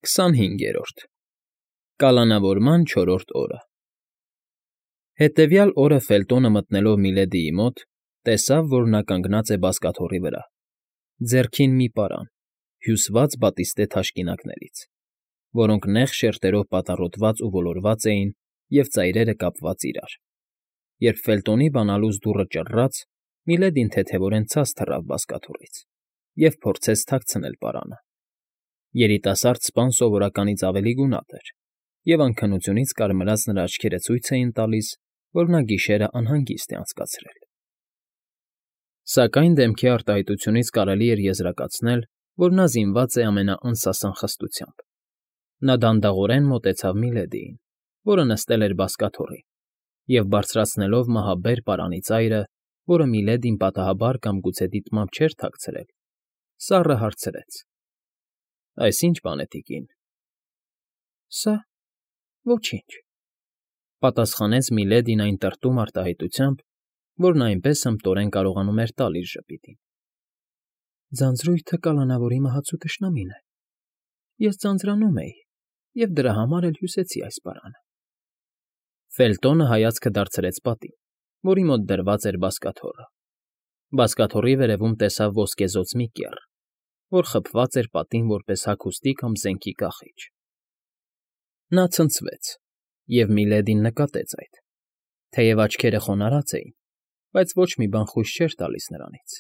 25-րդ Կալանավորման չորրորդ օրը Հետևյալ օրը Ֆելտոնը մտնելով Միլեդիի մոտ, տեսավ, որ նա կանգնած է բազկաթոռի վրա, ձեռքին մի պարան, հյուսված բատիստե թաշկինակներից, որոնք նեղ շերտերով պատառոտված ու ոլորված էին և ծայրերը կապված իրար. երբ Ֆելտոնի բանալուց դուռը ճռռաց, Միլեդին թեթևորեն ցած թռավ բազկաթոռից և փորձեց թաքցնել պարանը. երիտասարդ սպան սովորականից ավելի գունատ էր, և անքնությունից կարմրած նրա աչքերը ցույց էին տալիս, որ նա գիշերն անհանգիստ է անցկացրել. Սակայն դեմքի արտահայտությունից կարելի էր եզրակացնել, որ նա զինված է ամենաանսասան խստությամբ. նա դանդաղորեն մոտեցավ Միլեդիին, որը նստել էր բազկաթոռին, և բարձրացնելով մահաբեր պարանի ծայրը, որը Միլեդին պատահաբար կամ գուցե դիտմամբ չէր թաքցրել, սառը հարցրեց. Այս ի՞նչ բան է, տիկին։ Սա… ոչինչ, պատասխանեց Միլեդին այն տրտում արտահայտությամբ, որ նա այնպես հմտորեն կարողանում էր տալ իր ժպիտին. ձանձրույթը կալանավորի մահացու թշնամին է, ես ձանձրանում էի և դրա համար էլ հյուսեցի այս պարանը։ Ֆելտոնը հայացքը դարձրեց պատին, որի մոտ դրված էր բազկաթոռը. բազկաթոռի վերևում տեսավ ոսկեզօծ մի կեռ, որ խփված էր պատին որպես հագուստի կամ զենքի կախիչ. Նա ցնցվեց, և Միլեդին նկատեց այդ, թեև աչքերը խոնարհած էին, բայց ոչ մի բան խույս չէր տալիս նրանից։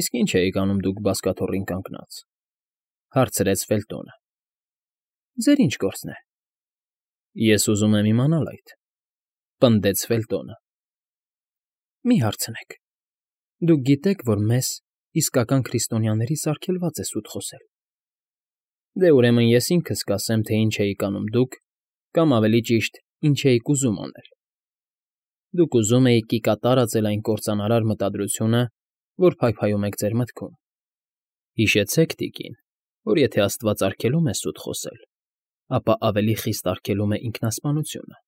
Իսկ ի՞նչ էիք անում դուք բազկաթոռին կանգնած,֊ հարցրեց Ֆելտոնը։ Ձեր ի՞նչ գործն է։ Ես ուզում եմ իմանալ այդ,֊ պնդեց Ֆելտոնը։ Մի հարցնեք, դուք գիտեք, որ մեզ, իսկական քրիստոնյաներից, արգելված է սուտ խոսել։ Դե ուրեմն ես ինքս կասեմ, թե ինչ էիք անում դուք, կամ ավելի ճիշտ, ինչ էիք ուզում անել։ Դուք ուզում էիք կիկա տարածել այն կործանարար մտադրությունը, որ փայփայում եք ձեր մտքում։ Հիշեցեք, տիկին, որ եթե աստված արգելում է սուտ խոսել, ապա ավելի խիստ արգելում է ինքնասպանությունը։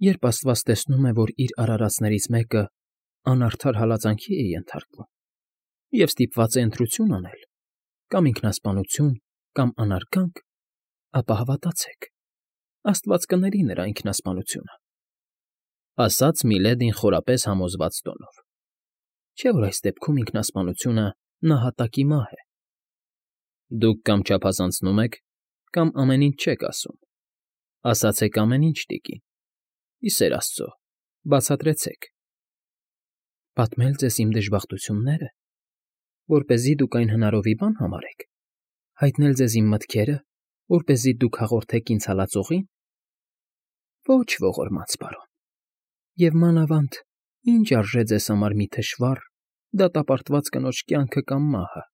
Երբ աստված տեսնում է, որ իր արարածներից մեկը անարդար հալածանքի է ենթարկվում և ստիպված է ընտրություն անել, կամ ինքնասպանություն, կամ անարգանք, ապա հավատացեք, աստված կների նրա ինքնասպանությունը,֊ ասաց Միլեդին խորապես համոզված տոնով։ Չէ՞ որ այս դեպքում ինքնասպանությունը նահատակի մահ է։ Դուք կամ չափազանցնում եք, կամ ամեն ինչ չեք ասում։ Ասացեք ամեն ինչ, տիկին, ի սեր աստծո, բացատրեցեք։ Պատմել ձեզ իմ դժբախտություննե՞րը, որպեսզի դուք այն հնարովի բան համարեք, հայտնել ձեզ իմ մտքերը, որպեսզի դուք հաղորդեք ինձ հալածողի՞ն։ Ոչ ողորմած պարոն, և մանավանդ ինչ արժե ձեզ համար մի թշվառ, դատապարտված կնոջ կյանքը կամ մահը։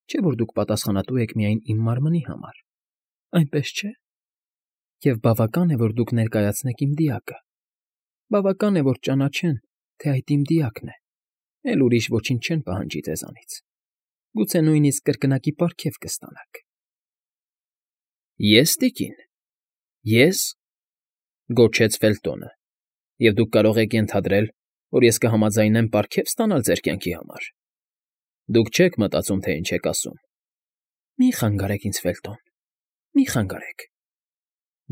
Չէ՞ որ դուք պատասխանատու եք միայն իմ մարմնի համար, այնպես չէ՞։ Եվ բավական է, որ դուք ներկայացնեք իմ դիակը, բավական է, որ ճանաչեն, թե այդ իմ դիակն է, էլ ուրիշ ոչինչ չեն պահանջի ձեզանից, գուցե նույնիսկ կրկնակի պարգև կստանաք։ Ե՞ս, տիկին, ե՞ս,֊ գոչեց Ֆելտոնը,֊ և դուք կարող եք ենթադրել, որ ես կհամաձայնեմ պարգև ստանալ ձեր կյանքի համար։ Դուք չեք մտածում, թե ինչ եք ասում։ Մի խանգարեք ինձ, Ֆելտոն, մի խանգարեք,֊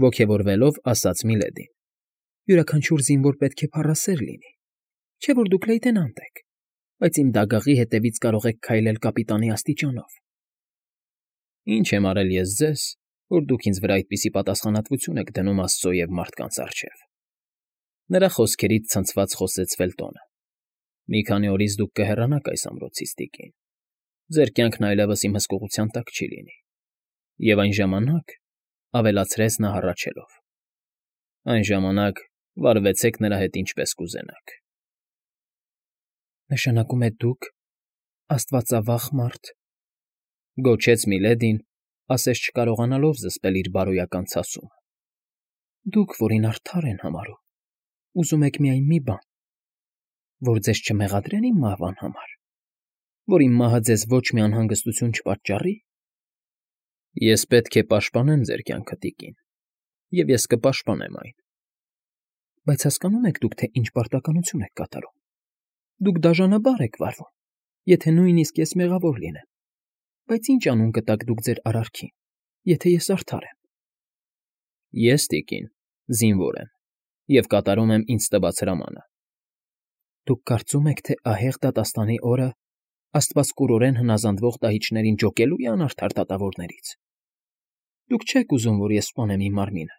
ոգևորվելով ասաց Միլեդին։ Յուրաքանչյուր զինվոր պետք է փառասեր լինի, չէ՞ որ դուք լեյտենանտ եք, բայց իմ դագաղի հետևից կարող եք քայլել կապիտանի աստիճանով։ Ինչ եմ արել ես ձեզ, որ դուք ինձ վրա այդպիսի պատասխանատվություն եք դնում աստծո և մարդկանց առջև։ Նրա խոսքերից ցնցված խոսեց Ֆելտոնը։ Մի քանի օրից դուք կհեռանաք այս ամրոցից, տիկին։ Ձեր կյանքն այլևս իմ հսկողության տակ չի լինի։ Եվ այն ժամանակ,֊ ավելացրեց նա հառաչելով,֊ այն ժամանակ վարվեցեք նրա հետ ինչպես կուզենաք։ Նշանակում է դուք, աստվածավախ մարդ,֊ գոչեց Միլեդին, ասես չկարողանալով զսպել իր բարոյական ցասումը,֊ դուք, որին արդար են համարում, ուզում եք միայն մի բան, որ ձեզ չմեղադրեն իմ մահվան համար, որ իմ մահը ձեզ ոչ մի անհանգստություն չպատճառի։ Ես պետք է պաշտպանեմ ձեր կյանքը, տիկին, և ես կպաշտպանեմ այն։ Բայց հասկանո՞ւմ եք դուք, թե ինչ պարտականություն եք կատարում։ Դուք դաժանաբար եք վարվում, եթե նույնիսկ ես մեղավոր լինեմ։ Բայց ինչ անուն կտաք դուք ձեր արարքին, եթե ես արդար եմ։ Ես, տիկին, զինվոր եմ և կատարում եմ ինձ տված հրամանը։ Դուք կարծում եք, թե ահեղ դատաստանի օրը աստվածկուրորեն հնազանդվող տահիճներին ջոկելու է անարդար դատավորներից։ Դուք չեք ուզում, որ ես սպանեմ իմ մարմինը,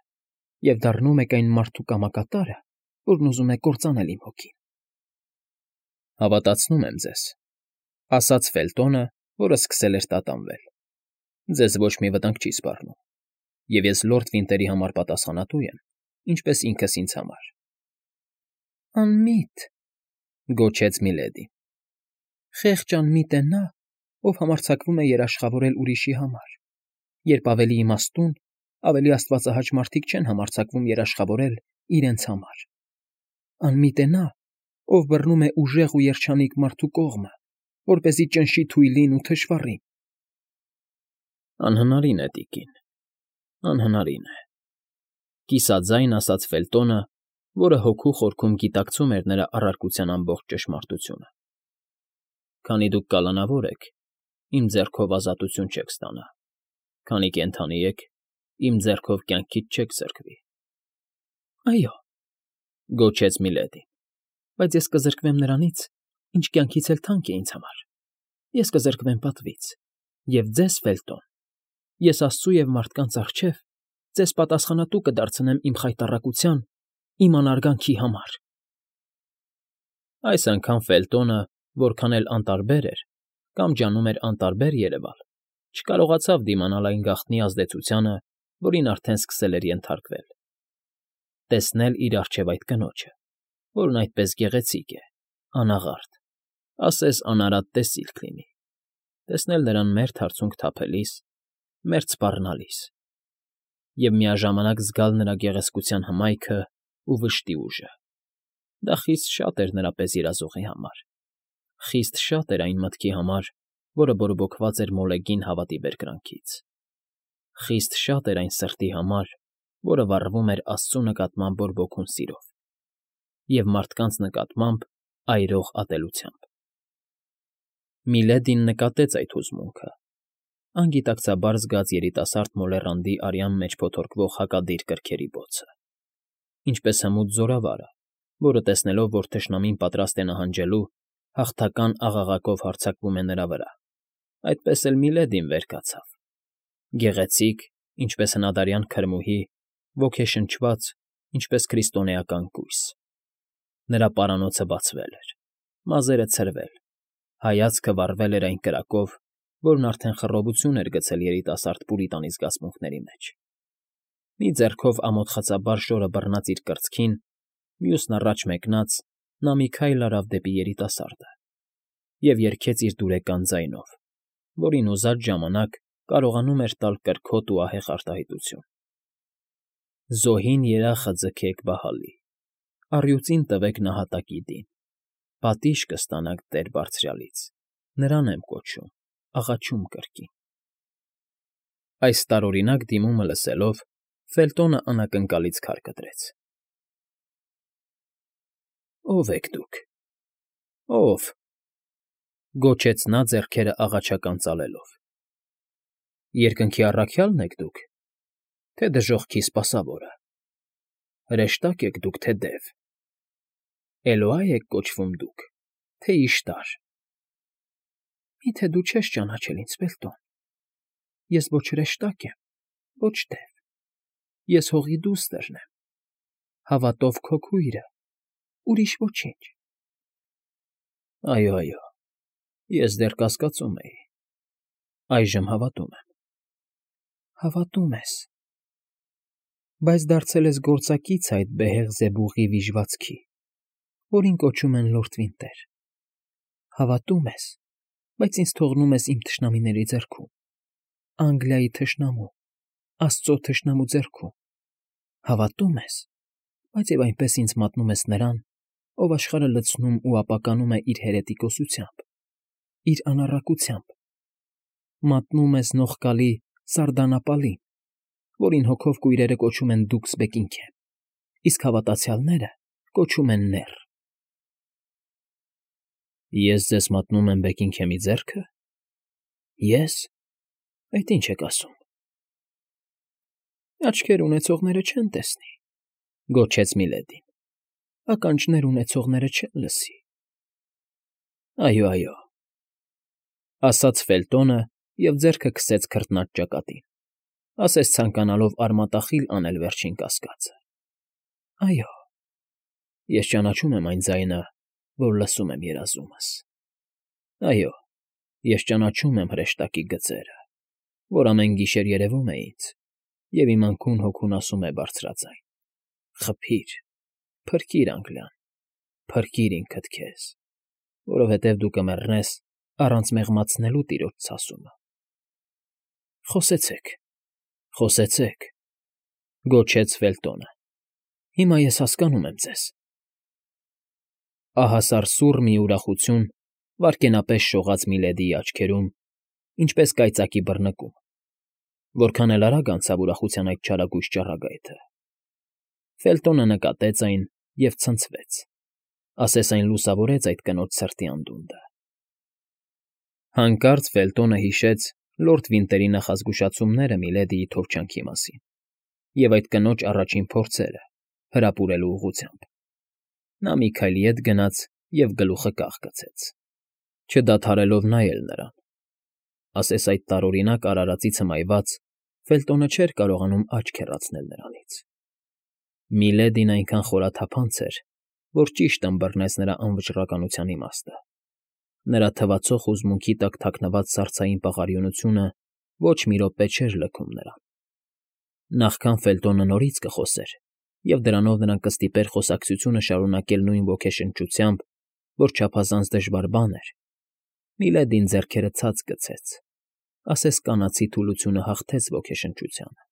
և դառնում եք այն մարդու կամակատարը, որն ուզում է կործանել իմ հոգին։ Հավատացնում եմ ձեզ, ասաց Ֆելտոնը, որը սկսել էր տատանվել։ Ձեզ ոչ մի վտանգ չի սպառնում, և ես լորդ Վինտերի համար պատասխանատու եմ, ինչպես ինքս ինձ համար։ Անմիտ, գոչեց Միլեդին։ Խեղճ անմիտ է նա, ով համարձակվում է երաշխավորել ուրիշի համար, երբ ավելի իմաստուն, ավելի աստվածահաճ մարդիկ չեն համարձակվում երաշխավորել իրենց համար։ Անմիտ է նա, ով բռնում է ուժեղ ու երջանիկ մարդու կողմը, որպեսզի ճնշի թույլին ու թշվառին։ Անհնարին է, տիկին, անհնարին է, կիսաձայն ասաց Ֆելտոնը, որը հոգու խորքում գիտակցում էր նրա առարկության ամբողջ ճշմարտությունը։ Քանի դուք կալանավոր եք, իմ ձեռքով ազատություն չեք ստանա, քանի կենդանի եք, իմ ձեռքով կյանքից չեք զրկվի։ Այո, գոչեց Միլեդին, բայց ես կզրկվեմ նրանից, ինչ կյանքից էլ թանկ է ինձ համար։ Ես կզրկվեմ պատվից, և ձեզ, Ֆելտոն, ես Աստծու և մարդկանց առջև ձեզ պատասխանատու կդարձնեմ իմ խայտառակության, իմ անարգանքի համար։ Այս անգամ Ֆելտոնը, որքան էլ անտարբեր էր կամ ջանում էր անտարբեր երևալ, չկարողացավ դիմանալ այն գաղտնի ազդեցությանը, որին արդեն սկսել էր ենթարկվել։ Տեսնել իր առջև այդ կնոջը, որն այդպես գեղեցիկ է, անաղարտ, ասես անարատ տեսիլք լինի, տեսնել նրան մերթ հարցունք թափելիս, մերթ սպառնալիս, և միաժամանակ զգալ նրա գեղեցկության հմայքը ու վշտի ուժը։ Դա խիստ շատ էր նրա պես երազողի համար, խիստ շատ էր այն մտքի համար, որը բորբոքված էր մոլեգին հավատի բերկրանքից, խիստ շատ էր այն սրտի համար, որը վառվում էր Աստծու նկատմամբ բորբոքուն սիրով և մարդկանց նկատմամբ այրող ատելությամբ։ Միլեդին նկատեց այդ հուզմունքը, անգիտակցաբար զգաց երիտասարդ մոլեռանդի արյան մեջ փոթորկվող հակադիր կրքերի բոցը, ինչպես հմուտ զորավարը, որը տեսնելով, որ թշնամին պատրաստ է նահանջելու, հաղթական աղաղակով հարձակվում է նրա վրա, այդպես էլ Միլեդին վեր կացավ, գեղեցիկ, ինչպես հնադարյան քրմուհի, ոգեշնչված, ինչպես քրիստոնեական կույս։ Նրա պարանոցը բացվել էր, մազերը ցրվել, հայացքը վառվել էր այն կրակով, որն արդեն խռովություն էր գցել երիտասարդ պուրիտանի զգացմունքների մեջ։ Մի ձեռքով ամոթխածաբար շորը բռնած իր կրծքին, մյուսն առաջ մեկնած, նա մի քայլ արավ դեպի երիտասարդը և երգեց իր դուրեկան ձայնով, որին ուզած ժամանակ կարողանում էր տալ կրքոտ ու ահեղ արտահայտություն. Զոհին երախը ձգեք Բահալի, առյուծին տվեք նահատակի դին, պատիժ կստանաք Տեր Բարձրյալից, նրան եմ կոչում, աղաչում կրկին։ Այս տարօրինակ դիմումը լսելով, Ֆելտոնը անակնկալից քար կտրեց։ Ո՞վ եք դուք, ո՞վ, գոչեց նա ձեռքերը աղաչական ծալելով։ Երկնքի առաքյա՞լն եք դուք, թե դժոխքի սպասավորը, հրեշտա՞կ եք դուք, թե դև, Էլոա՞ եք կոչվում դուք, թե Իշտար։ Մի՞թե դու չես ճանաչել ինձ, Ֆելտոն, ես ոչ հրեշտակ եմ, ոչ դև, ես հողի դուստրն եմ, հավատով քո քույրը, ուրիշ ոչինչ։ Այո, այո, ես դեռ կասկածում էի, այժմ հավատում եմ։ Հավատում ես, բայց դարձել ես գործակից այդ բեհեղ զեբուղի վիժվածքի, որին կոչում են լորդ Վինտեր։ Հավատում ես, բայց ինձ թողնում ես իմ թշնամիների ձեռքում, Անգլիայի թշնամու, Աստծո թշնամու ձեռքում։ Հավատում ես, բայց և այնպես ինձ մատնում ես նրան, ով աշխարհը լցնում ու ապականում է իր հերետիկոսությամբ, իր անառակությամբ, մատնում ես նողկալի Սարդանապալին, որին հոգով կույրերը կոչում են դուքս Բեկինգհեմ, իսկ հավատացյալները կոչում են նեռ։ Ես ձեզ մատնում եմ Բեկինգհեմի ձեռքը։ Ես, Այդ ինչ եք ասում։ Աչքեր ունեցողները չեն տեսնի, գոչեց Միլեդին։ Ականջներ ունեցողները չեն լսի։ Այո, այո, ասաց Ֆելտոնը և ձեռքը քսեց քրտնած ճակատին, ասես ցանկանալով արմատախիլ անել վերջին կասկածը։ Այո, ես ճանաչում եմ այն ձայնը, որ լսում եմ երազումս։ Այո, ես ճանաչում եմ հրեշտակի գծերը, որ ամեն գիշեր երևում է ինձ, և իմ անքուն հոգուն ասում է բարձրաձայն. «Խփի՛ր, փրկիր, անգլյան, փրկիր ինքդ քեզ, որովհետև դու կմեռնես առանց մեղմացնելու տիրոջ ցասումը»։ Խոսեցեք, խոսեցեք, գոչեց Ֆելտոնը։ Հիմա ես հասկանում եմ ձեզ։ Ահասար սուռ մի ուրախություն վայրկենապես շողաց Միլեդիի աչքերում, ինչպես կայծակի բռնկում, որքան էլ արագ անցավ ուրախության այդ չարագույժ ճառագայթը։ Ֆելտոնը նկատեց այն և ցնցվեց, ասես այն լուսավորեց այդ կնոջ սրտի անդունդը։ Հանկարծ Ֆելտոնը հիշեց լորդ Վինտերի նախազգուշացումները Միլեդիի թովչանքի մասին և այդ կնոջ առաջին փորձերը հրապուրելու ուղղությամբ։ Նա մի քայլ ետ գնաց և գլուխը կախ գցեց, չդադարելով նայել նրան։ Ասես այդ տարօրինակ արարածից հմայված Ֆելտոնը չէր կարողանում աչք հեռացնել նրանից։ Միլեդին այնքան խորաթափանց էր, որ ճիշտ ըմբռնեց նրա անվճռականության իմաստը։ Նրա թվացող հուզմունքի տակ թաքնված սառցային պաղարիունությունը ոչ մի րոպե չէր լքում նրան։ Նախքան Ֆելտոնը նորից կխոսեր, և դրանով նրան կստիպեր խոսակցությունը շարունակել նույն ոգեշնչությամբ, որ չափազանց դժվար բան էր, Միլեդին ձեռքերը ցած գցեց, ասես կանացի թուլությունը հաղթեց ոգեշնչությանը։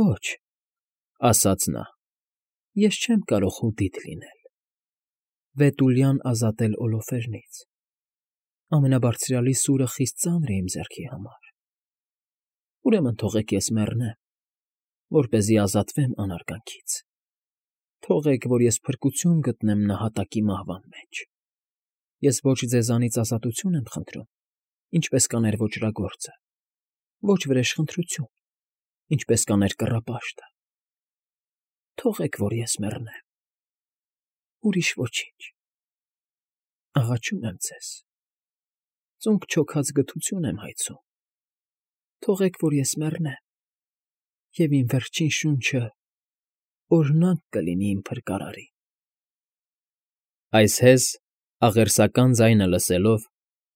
Ոչ, ասաց նա, ես չեմ կարող հուդիտ լինել, Վետուլյան ազատել Օլոֆերնից։ Ամենաբարձրյալի սուրը խիստ ծանր է իմ ձեռքի համար։ Ուրեմն թողեք ես մեռնեմ, որպեսզի ազատվեմ անարգանքից։ Թողեք, որ ես փրկություն գտնեմ նահատակի մահվան մեջ։ Ես ոչ ձեզանից ազատություն եմ խնդրում, ինչպես կաներ ոճրագործը, ոչ վրեժխնդրություն, ինչպես կաներ կռապաշտը։ Թողեք, որ ես մեռնեմ։ Ուրիշ ոչինչ։ Աղաչում եմ ձեզ։ Ծունկ չոքած գթություն եմ հայցում։ Թողեք, որ ես մեռնեմ, և իմ վերջին շունչը օրհնանք կլինի իմ փրկարարին։ Այս հեզ, աղերսական ձայնը լսելով,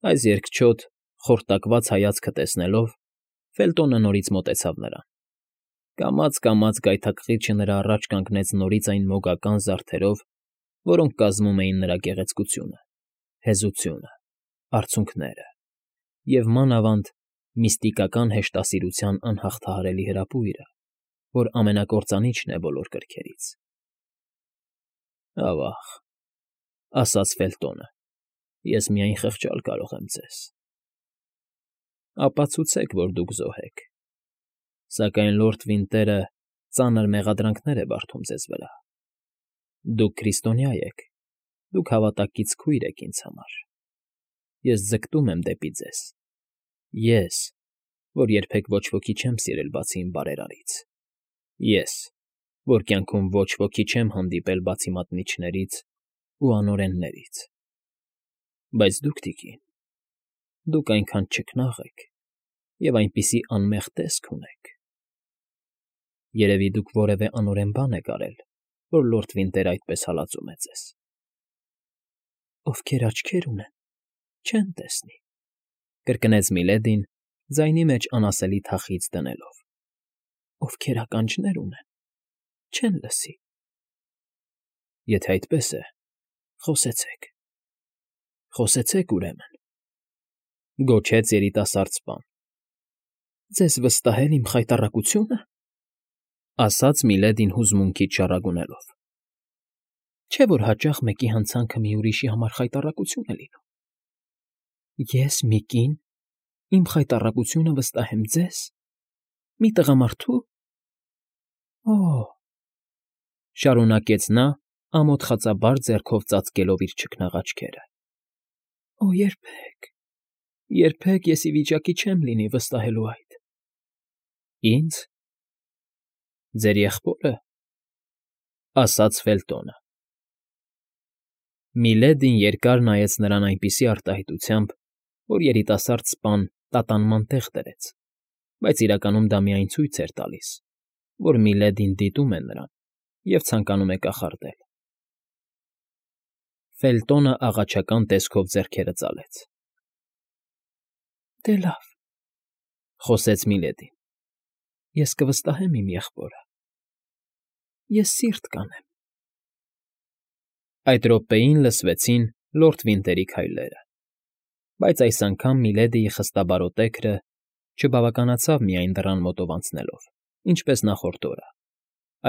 այս երկչոտ, խորտակված հայացքը տեսնելով, Ֆելտոնը նորից մոտեցավ նրան։ Կամաց֊կամաց գայթակղիչը նրա առաջ կանգնեց նորից այն մոգական զարդերով, որոնք կազմում էին նրա գեղեցկությունը, հեզությունը, արցունքները և, մանավանդ, միստիկական հեշտասիրության անհաղթահարելի հրապույրը, որ ամենակործանիչն է բոլոր կրքերից։ Ավա՜ղ, ասաց Ֆելտոնը, ես միայն խղճալ կարող եմ ձեզ։ Ապացուցեք, որ դուք զոհ եք, սակայն լորդ Վինտերը ծանր մեղադրանքներ է բարդում ձեզ վրա։ Դուք քրիստոնյա եք, դուք հավատակից քույր եք ինձ համար։ Ես ձգտում եմ դեպի ձեզ։ Ես, որ երբեք ոչ ոքի չեմ սիրել բացի իմ բարերարից։ Ես, որ կյանքում ոչ ոքի չեմ հանդիպել բացի մատնիչներից ու անօրեններից։ Բայց դուք, տիկին, դուք այնքան չքնաղ եք և այնպիսի անմեղ տեսք ունեք։ Երևի դուք որևէ անօրեն բան եք արել, որ լորդ Վինտերը այդպես հալածում է ձեզ։ Ովքեր աչքեր ունեն, չեն տեսնի, կրկնեց Միլեդին, ձայնի մեջ անասելի թախիծ դնելով։ Ովքեր ականջներ ունեն, չեն լսի։ Եթե այդպես է, խոսեցեք։ Խոսեցեք, ուրեմն, գոչեց երիտասարդ սպան։ Ձեզ վստահել իմ խայտառակությունը, ասաց Միլեդին հուզմունքից շառագունելով։ Չէ՞ որ հաճախ մեկի հանցանքը մի ուրիշի համար խայտառակություն է լինում։ Ես մի կին իմ խայտառակությունը վստահեմ ձեզ, մի տղամարդու։ Օ՜, շարունակեց նա, ամոթխածաբար ձեռքով ծածկելով իր չքնաղ աչքերը։ Օ, երբեք, Երբեք ես ի վիճակի չեմ լինի վստահելու այդ։ Ինձ։ Ձեր եղբորը, ասաց Ֆելտոնը։ Միլեդին երկար նայեց նրան այնպիսի արտահայտությամբ, որ երիտասարդ սպան տատանման տեղ դրեց, բայց իրականում դա միայն ցույց էր տալիս, որ Միլեդին դիտում է նրան և ցանկանում է կախարդել։ Ֆելտոնը աղաչական տեսքով ձեռքերը ծալեց։ Դե լավ, խոսեց Միլեդին, ես կվստահեմ իմ եղբորը։ Ես սիրտ կանեմ։ Այդ րոպեին լսվեցին լորդ Վինտերի քայլերը, բայց այս անգամ Միլեդիի խստաբարոտեքրը չբավականացավ միայն դռան մոտով անցնելով, ինչպես նախորդ օրը,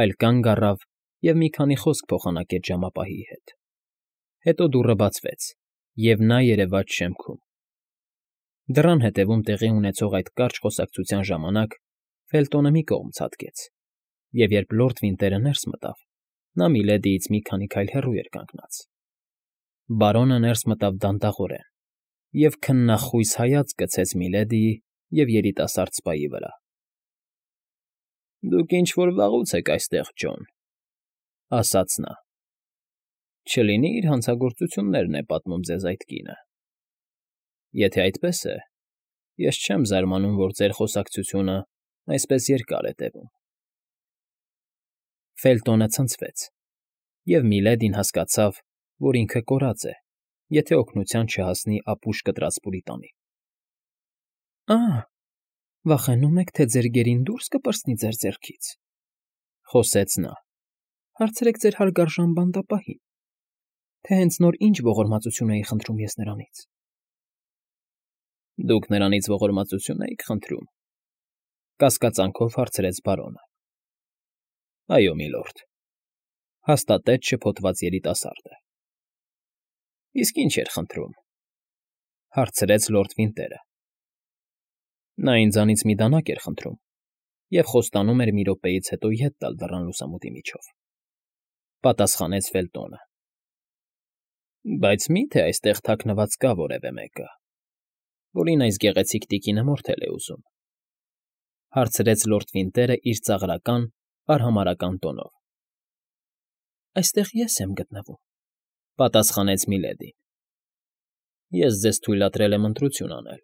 այլ կանգ առավ և մի քանի խոսք փոխանակեց ժամապահի հետ։ Հետո դուռը բացվեց, և նա երևաց շեմքում։ Դռան հետևում տեղի ունեցող այդ կարճ խոսակցության ժամանակ Ֆելտոնը մի կողմ ցատկեց, և երբ լորդ Վինտերը ներս մտավ, նա Միլեդիից մի քանի քայլ հեռու էր կանգնած։ Բարոնը ներս մտավ դանդաղորեն և քննախույս հայացք գցեց Միլեդիի և երիտասարդ սպայի վրա։ Դուք ինչ֊որ վաղուց եք այստեղ, Ջոն, ասաց նա։ Չլինի իր հանցագործություններն է պատմում ձեզ այդ կինը։ Եթե այդպես է, ես չեմ զարմանում, որ ձեր խոսակցությունը այսպես երկար է տևում։ Ֆելտոնը ցնցվեց, և Միլեդին հասկացավ, որ ինքը կորած է, եթե օգնության չհասնի ապուշ կտրած պուրիտանին։ Ա՜, վախենում եք, թե ձեր գերին դուրս կպրծնի ձեր ձեռքից, խոսեց նա։ Հարցրեք ձեր հարգարժան բանդապահին, թե հենց նոր ինչ ողորմածություն էի խնդրում ես նրանից։ Դուք նրանից ողորմածություն էիք խնդրում, կասկածանքով հարցրեց բարոնը։ Այո, միլորդ, հաստատեց շփոթված երիտասարդը։ Իսկ ինչ էր խնդրում, հարցրեց լորդ Վինտերը։ Նա ինձանից մի դանակ էր խնդրում և խոստանում էր մի րոպեից հետո ետ տալ դռան լուսամուտի միջով, պատասխանեց Ֆելտոնը։ Բայց մի՞թե այստեղ թաքնված կա որևէ մեկը, որին այս գեղեցիկ տիկինը մորթել է ուզում, հարցրեց լորդ Վինտերը իր ծաղրական, արհամարհական տոնով։ Այստեղ ես եմ գտնվում, պատասխանեց Միլեդին։ Ես ձեզ թույլատրել եմ ընտրություն անել.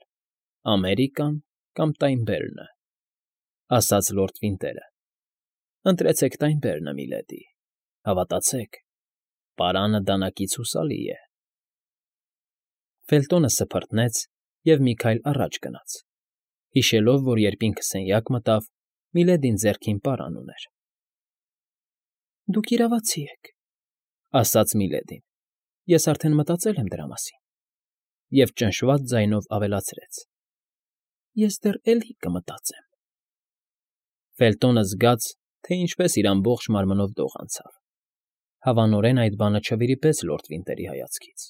Ամերիկան կամ Տայնբերնը, ասաց լորդ Վինտերը։ Ընտրեցեք Տայնբերնը, միլեդի, հավատացեք, պարանը դանակից հուսալի է։ Ֆելտոնը սփռտնեց և մի քայլ առաջ գնաց, հիշելով, որ երբ ինքը սենյակ մտավ, Միլեդին ձեռքին պարան ուներ։ Դուք իրավացի եք, ասաց Միլեդին, ես արդեն մտածել եմ դրա մասին, և ճնշված ձայնով ավելացրեց. Ես դեռ էլի կմտածեմ։ Ֆելտոնը զգաց, թե ինչպես իր ամբողջ մարմնով դող անցավ։ Հավանորեն այդ բանը չվիրիպեց լորդ Վինտերի հայացքից։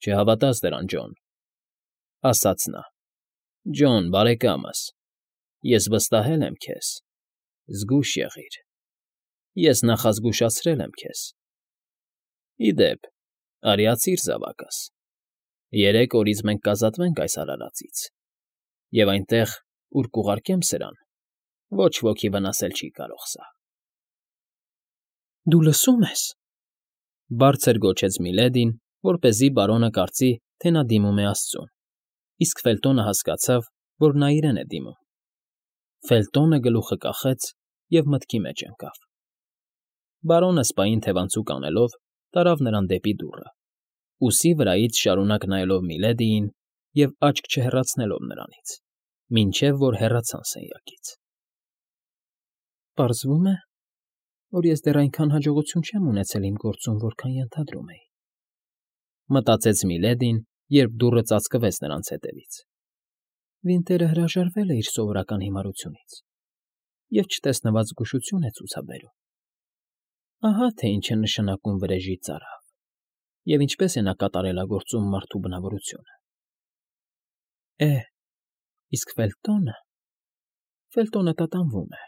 Չհավատաս դրան, Ջոն, ասաց նա։ Ջոն, բարեկամս, ես վստահել եմ քեզ, զգույշ եղիր, ես նախազգուշացրել եմ քեզ։ Ի դեպ, արիացիր զավակս, 3 օրից մենք կազատվենք այս արարածից, և այնտեղ, ուր կուղարկեմ սրան, ոչ ոքի վնասել չի կարող սա։ Դու լսո՞ւմ ես, բարձր գոչեց Միլեդին, որպեսզի բարոնը կարծի, թե նա դիմում է աստծուն, իսկ Ֆելտոնը հասկացավ, որ նա իրեն է դիմում։ Ֆելտոնը գլուխը կախեց և մտքի մեջ ընկավ։ Բարոնը սպային թևանցուկ անելով տարավ նրան դեպի դուռը, ուսի վրայից շարունակ նայելով Միլեդիին և աչք չհեռացնելով նրանից, մինչև որ հեռացան սենյակից։ Պարզվում է, որ ես դեռ այնքան հաջողություն չեմ ունեցել իմ գործում, որքան ենթադրում էի, մտածեց Միլեդին, երբ դուռը ծածկվեց նրանց հետևից։ Վինտերը հրաժարվել է իր սովորական հիմարությունից և չտեսնված զգուշություն է ցուցաբերում։ Ահա թե ինչ է նշանակում վրեժի ծարավ և ինչպես է նա կատարելագործում մարդու բնավորությունը։ Իսկ Ֆելտոնը տատանվում է։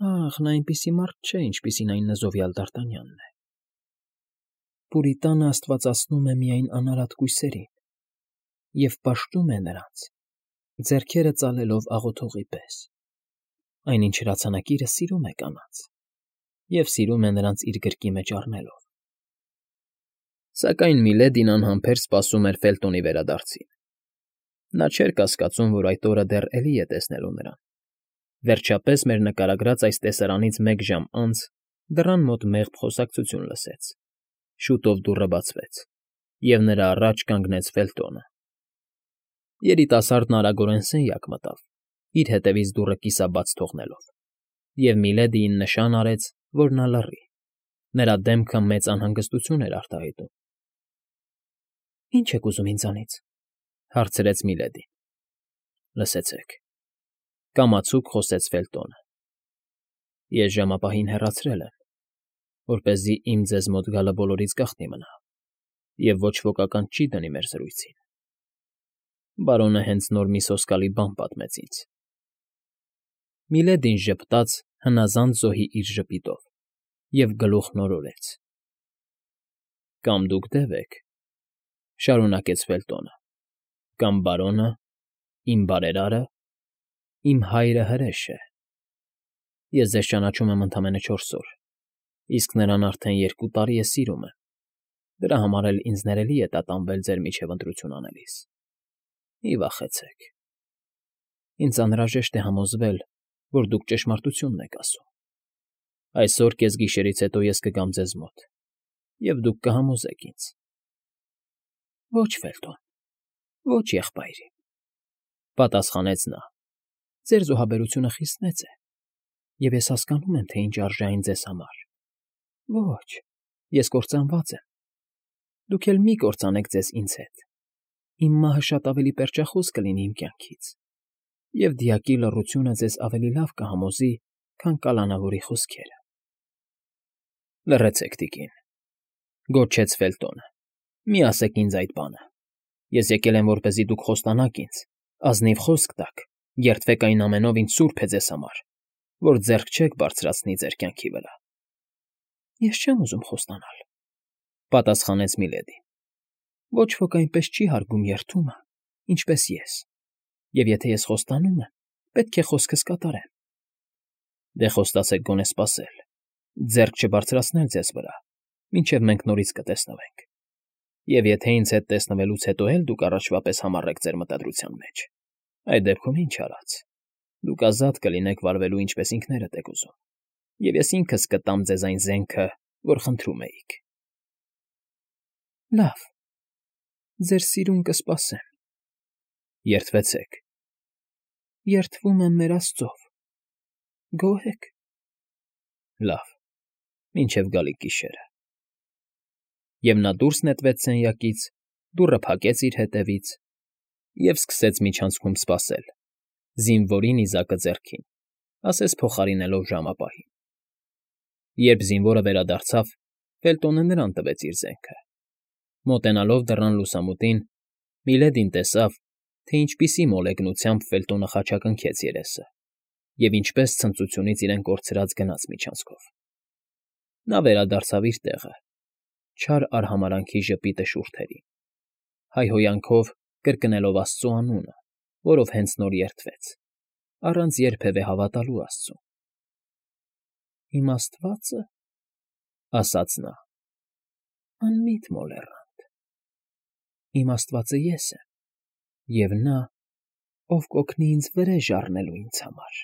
Ախ, նա այնպիսի մարդ չէ, ինչպիսին այն նզովյալ Դարտանյանն է։ Պուրիտանը աստվածացնում է միայն անարատ կույսերին, և պաշտում է նրանց, ձեռքերը ծալելով աղոթողի պես, այնինչ հրացանակիրը սիրում է կանանց և սիրում է նրանց իր գրկի մեջ առնելով։ Սակայն Միլեդին անհամբեր սպասում էր Ֆելտոնի վերադարձին։ Նա չէր կասկածում, որ այդ օրը դեռ էլի է տեսնելու նրան։ Վերջապես մեր նկարագրած այս տեսարանից 1 ժամ անց դռան մոտ մեղմ խոսակցություն լսեց։ Շուտով դուռը բացվեց, և նրա առաջ կանգնեց Ֆելտոնը։ Երիտասարդն արագորեն սենյակ մտավ, իր հետևից դուռը կիսաբաց թողնելով, և Միլեդիին նշան արեց, որ նա լռի։ Նրա դեմքը մեծ անհանգստություն էր արտահայտում։ ֊ Ի՞նչ եք ուզում ինձանից,֊ հարցրեց Միլեդին։ ֊ Լսեցեք,֊ կամացուկ խոսեց Ֆելտոնը։ Ես ժամապահին հեռացրել եմ, որպեսզի իմ ձեզ մոտ գալը բոլորից գաղտնի մնա և ոչ ոք ականջ չի դնի մեր զրույցին։ Բարոնը հենց նոր մի սոսկալի բան պատմեց ինձ։ Միլեդին ժպտաց հնազանդ զոհի իր ժպիտով և գլուխն օրորեց։ ֊ Կամ դուք դև եք,֊ շարունակեց Ֆելտոնը,֊ կամ բարոնը, իմ բարերարը, իմ հայրը հրեշ է։ Ես ձեզ ճանաչում եմ ընդամենը 4 օր, իսկ նրան արդեն 2 տարի է սիրում եմ, դրա համար էլ ինձ ներելի է տատանվել ձեր միջև ընտրություն անելիս։ Մի վախեցեք։ Ինձ անհրաժեշտ է համոզվել, որ դուք ճշմարտությունն եք ասում։ Այսօր կեսգիշերից հետո ես կգամ ձեզ մոտ, և դուք կհամոզեք ինձ։ ֊ Ոչ, Ֆելտոն, ոչ, եղբայրիկ,֊ պատասխանեց նա։ Ձեր զոհաբերությունը խիստ մեծ է, և ես հասկանում եմ, թե ինչ արժե այն ձեզ համար։ Ոչ, ես կործանված եմ։ Դուք էլ մի կործանեք ձեզ ինձ հետ։ Իմ մահը շատ ավելի պերճախոս կլինի իմ կյանքից, և դիակի լռությունը ձեզ ավելի լավ կհամոզի, քան կալանավորի խոսքերը։ ֊ Լռեցեք, տիկին,֊ գոչեց Ֆելտոնը,֊ մի ասեք ինձ այդ բանը։ Ես եկել եմ, որպեսզի դուք խոստանաք ինձ, ազնիվ խոսք տաք, երդվեք այն ամենով, ինչ սուրբ է ձեզ համար, որ ձեռք չեք բարձրացնի ձեր կյանքի վրա։ ֊ Ես չեմ ուզում խոստանալ,֊ պատասխանեց Միլեդին։ Ոչ ոք այնպես չի հարգում երդումը, ինչպես ես, և եթե ես խոստանում եմ, պետք է խոսքս կատարեմ։ ֊ Դե խոստացեք գոնե սպասել, ձեռք չբարձրացնել ձեզ վրա, մինչև մենք նորից կտեսնվենք, և եթե ինձ հետ տեսնվելուց հետո էլ դուք առաջվա պես համառեք ձեր մտադրության մեջ, այդ դեպքում ինչ արած, դուք ազատ կլինեք վարվելու ինչպես ինքներդ եք ուզում, և ես ինքս կտամ ձեզ այն զենքը, որ խնդրում էիք։ ֊ Լավ, ձեր սիրուն կսպասեմ։ ֊ Երդվեցեք։ ֊ Երդվում եմ մեր Աստծով։ Գոհ եք։ ֊ Լավ, մինչև գալիք գիշերը։ Եվ նա դուրս նետվեց սենյակից, դուռը փակեց իր հետևից և սկսեց միջանցքում սպասել, զինվորի նիզակը ձեռքին, ասես փոխարինելով ժամապահին։ Երբ զինվորը վերադարձավ, Ֆելտոնը նրան տվեց իր զենքը։ Մոտենալով դռան լուսամուտին, Միլեդին տեսավ, թե ինչպիսի մոլեգնությամբ Ֆելտոնը խաչակնքեց երեսը և ինչպես ցնծությունից իրեն կորցրած գնաց միջանցքով։ Նա վերադարձավ իր տեղը, չար արհամարհանքի ժպիտը շուրթերին, հայհոյանքով կրկնելով Աստծու անունը, որով հենց նոր երդվեց, առանց երբևէ հավատալու Աստծուն։ «Իմ Աստվածը,֊ ասաց նա,֊ անմիտ մոլեռանդ, իմ Աստվածը ես եմ, և նա, ով կօգնի ինձ վրեժ առնելու ինձ համար»։